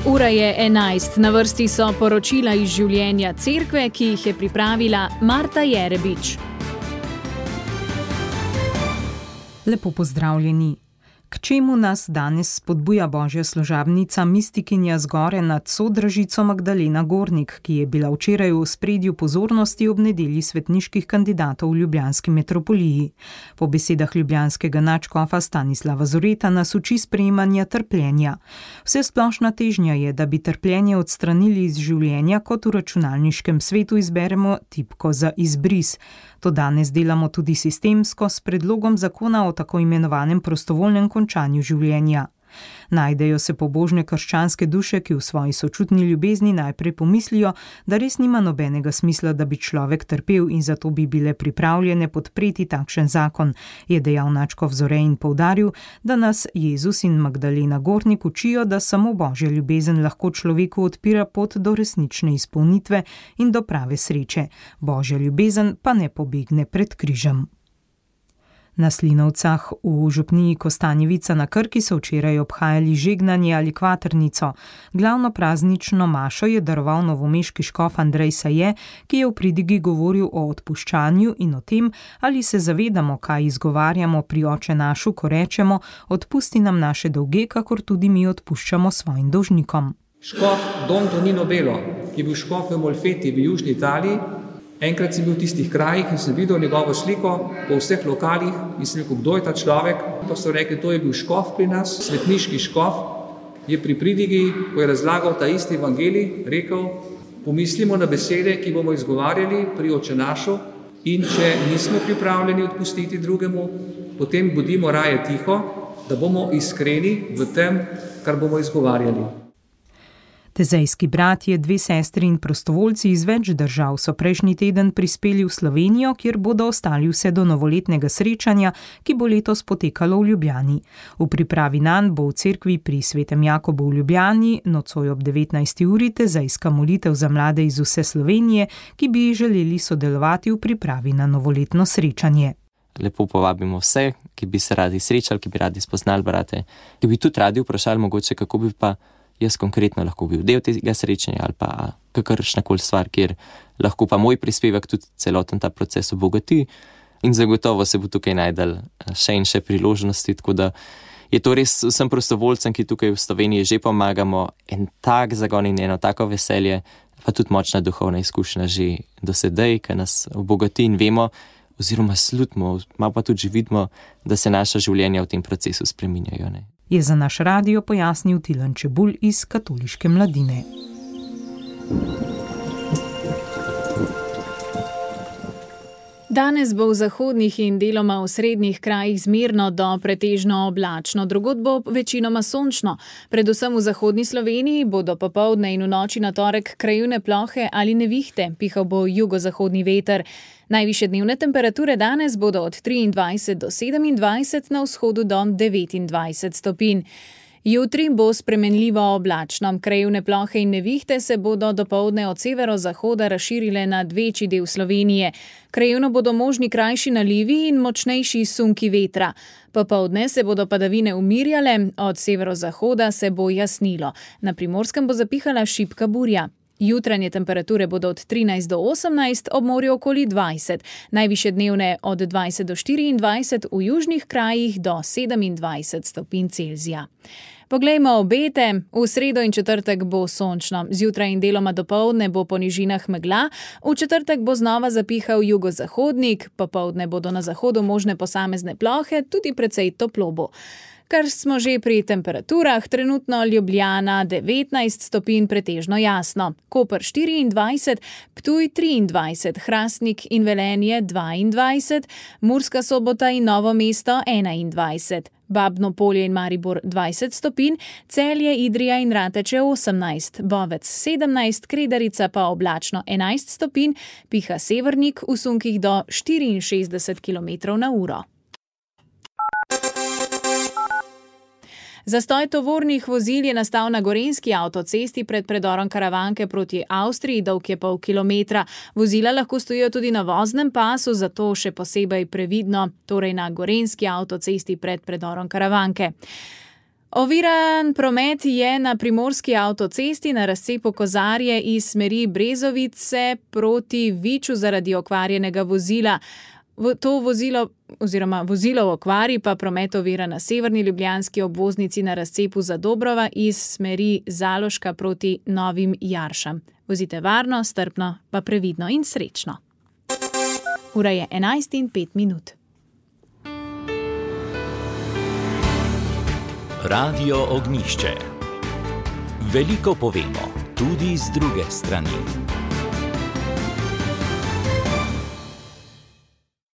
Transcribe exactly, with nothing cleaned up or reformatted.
Ura je enajst, na vrsti so poročila iz življenja cerkve, ki jih je pripravila Marta Jerebič. Lepo pozdravljeni. K čemu nas danes spodbuja božja služabnica mistikinja zgore nad Sodražico Magdalena Gornik, ki je bila včeraj v ospredju pozornosti ob nedelji svetniških kandidatov v ljubljanski metropoliji. Po besedah ljubljanskega nadškofa Stanislava Zoreta nas uči sprejemanja trpljenja. Vsesplošna težnja je, da bi trpljenje odstranili iz življenja, kot v računalniškem svetu izberemo tipko za izbris. To danes delamo tudi sistemsko s predlogom zakona o tako imenovanem prostovoljnem končanju življenja. Najdejo se pobožne krščanske duše, ki v svoji sočutni ljubezni najprej pomislijo, da res nima nobenega smisla, da bi človek trpel in zato bi bile pripravljene podpreti takšen zakon, je dejal nadškof Zore in poudaril, da nas Jezus in Magdalena Gornik učijo, da samo božja ljubezen lahko človeku odpira pot do resnične izpolnitve in do prave sreče. Božja ljubezen pa ne pobegne pred križem. Na Slinovcah v župniji Kostanjevica na Krki so včeraj obhajali žegnanje ali kvaternico. Glavno praznično mašo je daroval novomeški škof Andrej Saje, ki je v pridigi govoril o odpuščanju in o tem, ali se zavedamo, kaj izgovarjamo pri Oče našu, ko rečemo: odpusti nam naše dolge, kakor tudi mi odpuščamo svojim dolžnikom. Škof Don Tonino Belo, ki je bil škof v Molfeti v južni Italiji. Enkrat sem bil v tistih krajih in sem videl njegovo sliko po vseh lokalih in sem rekel, kdo je ta človek. To so rekli, to je bil škof pri nas, svetniški škof. Je pri pridigi, ko je razlagal ta isti evangelij, rekel, pomislimo na besede, ki bomo izgovarjali pri Oče našu, in če nismo pripravljeni odpustiti drugemu, potem bodimo raje tiho, da bomo iskreni v tem, kar bomo izgovarjali. Tezejski bratje, dve sestri in prostovoljci iz več držav so prejšnji teden prispeli v Slovenijo, kjer bodo ostali vse do novoletnega srečanja, ki bo letos potekalo v Ljubljani. V pripravi nanj bo v cerkvi pri Svetem Jakobu v Ljubljani nocoj ob devetnajsti uri tezejska molitev za mlade iz vse Slovenije, ki bi želeli sodelovati v pripravi na novoletno srečanje. Lepo povabimo vse, ki bi se radi srečali, ki bi radi spoznali brate, ki bi tudi radi vprašali mogoče, kako bi pa jaz konkretno lahko bil del tega srečanja ali pa kakršnakoli stvar, kjer lahko pa moj prispevek tudi celoten ta proces obogati in zagotovo se bo tukaj najdel še in še priložnosti, tako da je to res vsem prostovoljcem, ki tukaj v Sloveniji že pomagamo, en tak zagon in eno tako veselje, pa tudi močna duhovna izkušnja že do sedaj, ki nas obogati in vemo oziroma slutimo, malo pa tudi že vidimo, da se naša življenja v tem procesu spreminjajo, ne. Je za naš radio pojasnil Tilen Čebulj iz Katoliške mladine. Danes bo v zahodnih in deloma v srednjih krajih zmerno do pretežno oblačno, drugod bo večinoma sončno. Predvsem v zahodni Sloveniji bodo popoldne in v noči na torek krajevne plohe ali nevihte, pihal bo jugozahodni veter. Najvišje dnevne temperature danes bodo od triindvajset do sedemindvajset, na vzhodu do devetindvajset stopinj. Jutri bo spremenljivo oblačno, krajevne plohe in nevihte se bodo dopoldne od severozahoda razširile nad večji del Slovenije. Krajevno bodo možni krajši nalivi in močnejši sunki vetra. Popoldne se bodo padavine umirjale, od severozahoda se bo jasnilo. Na Primorskem bo zapihala šibka burja. Jutranje temperature bodo od trinajst do osemnajst, ob morju okoli dvajset. Najvišje dnevne od dvajset do štiriindvajset, v južnih krajih do sedemindvajset stopinj Celzija. Poglejmo obete. V sredo in četrtek bo sončno. Zjutraj in deloma dopoldne bo po nižinah megla. V četrtek bo znova zapihal jugozahodnik. Popoldne bodo na zahodu možne posamezne plohe, tudi precej toplo bo. Kar smo že pri temperaturah, trenutno Ljubljana devetnajst stopinj, pretežno jasno. Koper štiriindvajset, Ptuj triindvajset, Hrastnik in Velenje dvaindvajset, Murska Sobota in Novo mesto enaindvajset. Babno Polje in Maribor dvajset stopinj, Celje, Idrija in Rateče osemnajst, Bovec sedemnajst, Kredarica pa oblačno enajst stopinj, piha severnik v sunkih do štiriinšestdeset kilometrov na uro. Zastoj tovornih vozil je nastal na gorenjski avtocesti pred predorom Karavanke proti Avstriji, dolg je pol kilometra. Vozila lahko stojijo tudi na voznem pasu, zato še posebej previdno, torej na gorenjski avtocesti pred predorom Karavanke. Oviran promet je na primorski avtocesti na razcepu Kozarje iz smeri Brezovice proti Viču zaradi okvarjenega vozila. To vozilo oziroma vozilo v okvari pa promet ovira na severni ljubljanski obvoznici na razcepu Zadobrova iz smeri Zaloška proti Novim Jaršam. Vozite varno, strpno, pa previdno in srečno. Ura je enajst in pet minut. Radio Ognjišče. Veliko povemo, tudi z druge strani.